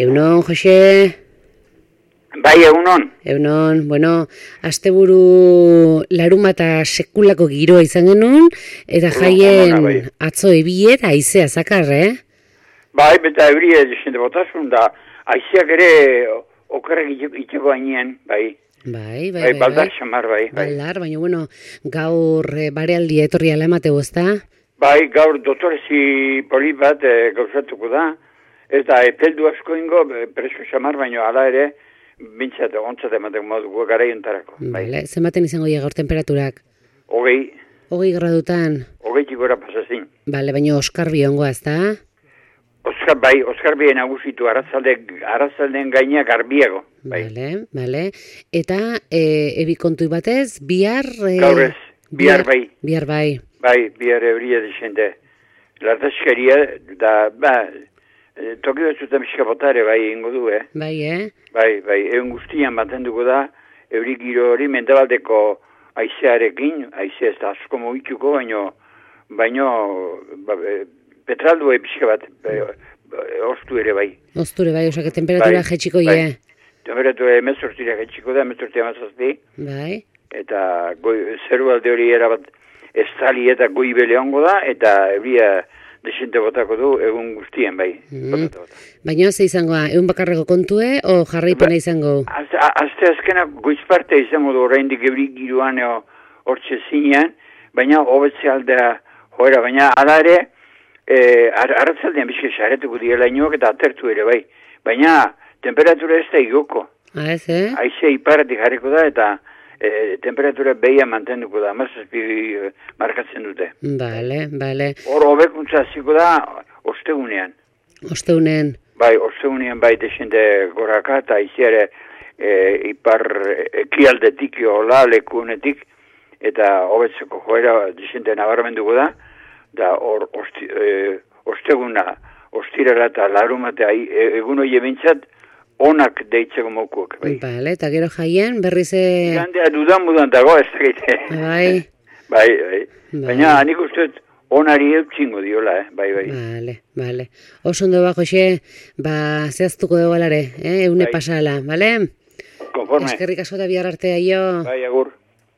Egunon, Jose? Bai, egunon. Egunon, bueno, asteburu larumata sekulako giroa izan genuen, eta jaien atzo ebie eta haizea zakar, Bai, beta ebrie desente botasun da, haizeak ere okerrek itxeko gainean, bai. Bai. Baldar xamar, bai. Baldar, baina, bueno, gaur barealdia etorri ala emateu, ezta? Bai, gaur doktorezi polit bat gauzatuko da, eta epeldu asko ingo, preso xamar, baina ala ere, bintzat, ontzat ematen moduko garaiontarako. Bale, zenbaten izango dira gaur temperaturak? 20 gradutan? 20 gora pasazin. Bale, baina Oskarbi ongoa, ezta? Oskarbi nagusitu, arrazalden gaineak garbiago. Bale. Eta ebi kontui batez, bihar... Gaur ez, bihar bai. Bihar bai. Bai, bihar ebria desente. Lardaskeria, da, toki batzutan miskapotare bai ingo du, Bai, Bai, egun guztian mantenduko da, euri giro hori mendebaldeko haizearekin, haizea ez da asko mugituko, baino petraldu pixka bat, ostu ere bai. Osture bai, osak temperatura jetxiko ie. Temperatura emezortira jetxiko da, emezortira mazazpi. Bai. Eta zeru alde hori erabat estali eta goibele ongo da, eta euria desente botako du egun guztien, bai. Baina ze izango da, egun bakarreko kontue, o jarraipena izango? Azte azkena goizparte izango du oraindik euri giroan hortxe zinean, baina hobetze aldea joera, baina ala ere, arratzaldean bizke saretuko diela inoak eta atertu ere, bai. Baina temperatura ez da igoko. Ez, Haizea iparatik jarriko da eta temperatura behia mantenduko da, mazazpi markatzen dute. Bale. Hor hobekuntza hasiko da ostegunean. Ostegunean? Bai, ostegunean bai desente goraka eta haizeare ipar ekialdetik hola lekunetik eta hobetzeko joera desente nabarmenduko da. Da hor osteguna, ostirara eta larumatea egun hori bintzat onak deitzeko mokuak. Bale, eta gero jaien berriz... Gandea dudan dago ez dakite. Bai. Baina nik usteet onari eutxingo diola, bai. Bale. Oso ondo ba, Jose, zehaztuko dugu alare, eune pasala, bale? Konforme. Eskerrik asko eta bihar artea, jo. Bai, agur.